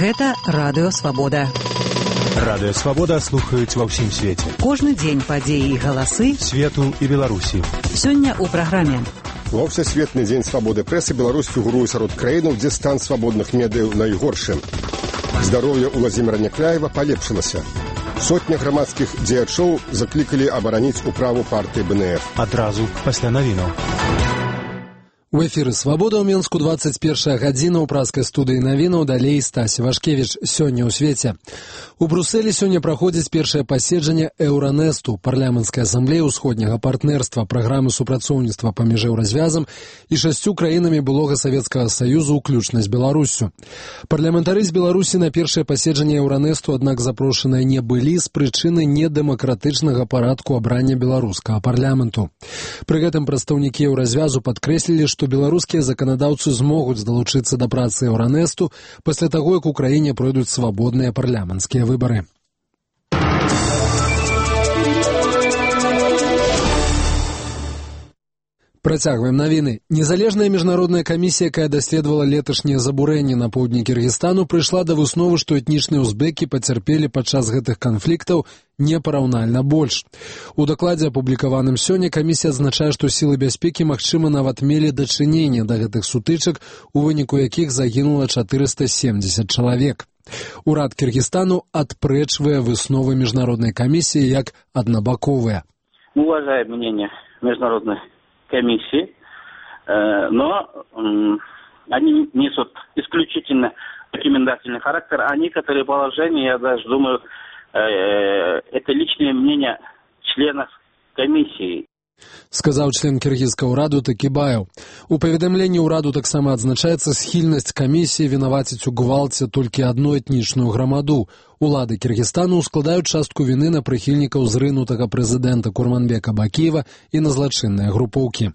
Гэта Радыё Свабода. Радыё Свабода слухаюць ва ўсім свеце. Кожны дзень падзеі і галасы свету і Беларусі. Сёння ў праграме. Ва ўсесветны дзень свабоды прэсы Беларусь фігуруе сярод краінаў, дзе стан свабодных медыяў найгоршы. Здароўе Уладзіміра Някляева палепшылася. Сотня грамадскіх дзеячоў заклікалі абараніць управу партыі БНФ. Адразу пасля навінаў. У эфіры «Свабода» ў Менску 21 гадзіна ў праскай студыі навінаў, далей Стась Вашкевіч. Сёння ў свеце. У Брусэлі сёння праходзіць першае паседжанне Еўранэсту, парламенцкай асамблеі ўсходняга партнерства, праграмы супрацоўніцтва паміж еўразвязам і 6 краінамі былога Савецкага Саюзу, уключна з Беларуссю. Парламентары з Беларусі на першае паседжанне Еўранэсту, аднак запрошаныя не былі з прычыны недэмакратычнага парадку абрання беларускага парламенту. Пры гэтым прадстаўнікі еўразвязу падкрэслілі, што беларускія заканадаўцы змогуць далучыцца да працы Еўранэсту пасля таго, як у краіне пройдуць свабодныя парламенцкія выбары. Працягваем навіны. Незалежная міжнародная камісія, якая даследавала леташнія забурэнні на поўдні Кіргізстану, прыйшла да высновы, што этнічныя узбекі пацярпелі падчас гэтых канфліктаў непараўнальна больш. У дакладзе, апублікаваным сёння, камісія адзначае, што сілы бяспекі, магчыма, нават мелі дачыненне да гэтых сутычак, у выніку якіх загінула 470 чалавек. Урад Кіргізстану адпрэчвае высновы міжнароднай камісіі як аднабаковыя. Уважаем мнение международной комиссии, но они несут исключительно рекомендательный характер, а некоторые положения, я даже думаю, это личное мнение членов комиссии. Сказаў член кіргізскага ўраду Такібаев. У паведамленні ўраду таксама адзначаецца схільнасць камісіі вінаваціць у гвалце толькі адну этнічную грамаду. Улады Кіргізстану складаюць частку віны на прыхільнікаў зрынутага прэзідэнта Курманбека Бакіева і на злачынныя групоўкі.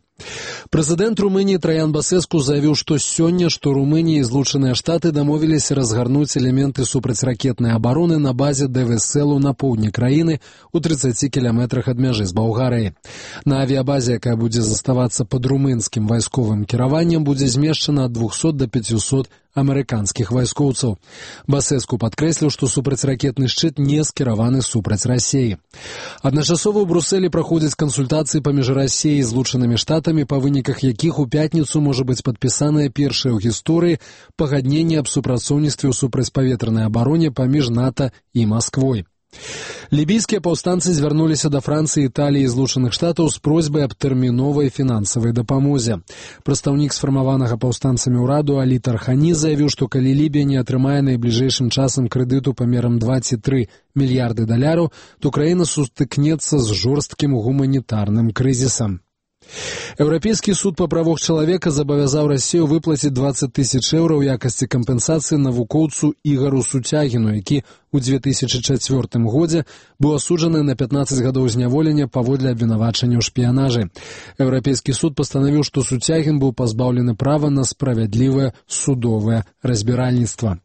Прэзідэнт Румыніі Траян Басэску заявіў, што сёння, што Румынія і Злучаныя Штаты дамовіліся разгарнуць элементы супрацьракетнай абароны на базе ДВСЛу на поўдні краіны у 30 кіламетрах ад мяжы з Балгарыяй. На авіябазе, якая будзе заставацца пад румынскім вайсковым кіраваннем, будзе змешчана ад 200 до 500 амерыканскіх вайскоўцаў. Басэску падкрэсліў, што супрацьракетны шчыт не скіраваны супраць Расіі. Адначасова ў Брусэлі праходзяць кансультацыі паміж Расіяй і Злучанымі Штатамі, па выніках якіх у пятніцу можа быць падпісанае першае ў гісторыі пагадненне аб супрацоўніцтве ў супрацьпаветранай абароне паміж НАТО і Масквой. Лібійскія паўстанцы звярнуліся да Францыі, Італіі і Злучаных Штатаў з просьбай аб тэрміновай фінансавай дапамозе. Прадстаўнік сфармаванага паўстанцамі ўраду Алі Тархані заявіў, што калі Лібія не атрымае найбліжэйшым часам крэдыту памерам 23 мільярды даляраў, то краіна сутыкнецца з жорсткім гуманітарным крызісам. Еўрапейскі суд па правах чалавека забавязаў Расію выплаціць 20 000 еўра ў якасці кампенсацыі навукоўцу Ігару Суцягіну, які у 2004 годзе быў асуджаны на 15 гадоў зняволення паводле абвінавачання ў шпіянажы. Еўрапейскі суд пастанавіў, што Суцягін быў пазбаўлены права на справядлівае судовае разбіральніцтва.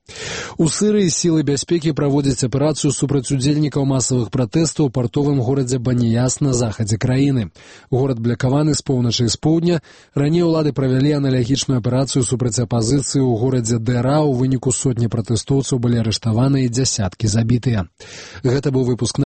У Сірыі сілы бяспекі праводзяць аперацыю супраць удзельнікаў масавых пратэстаў у партовым горадзе Баніяс на захадзе краіны. Горад блякаваны з поўначы і з поўдня. Раней улады правялі аналагічную аперацыю супраць апазіцыі ў горадзе Дэра. У выніку сотні пратэстоўцаў былі арыштаваны і дзясяткі забітыя. Гэта быў выпуск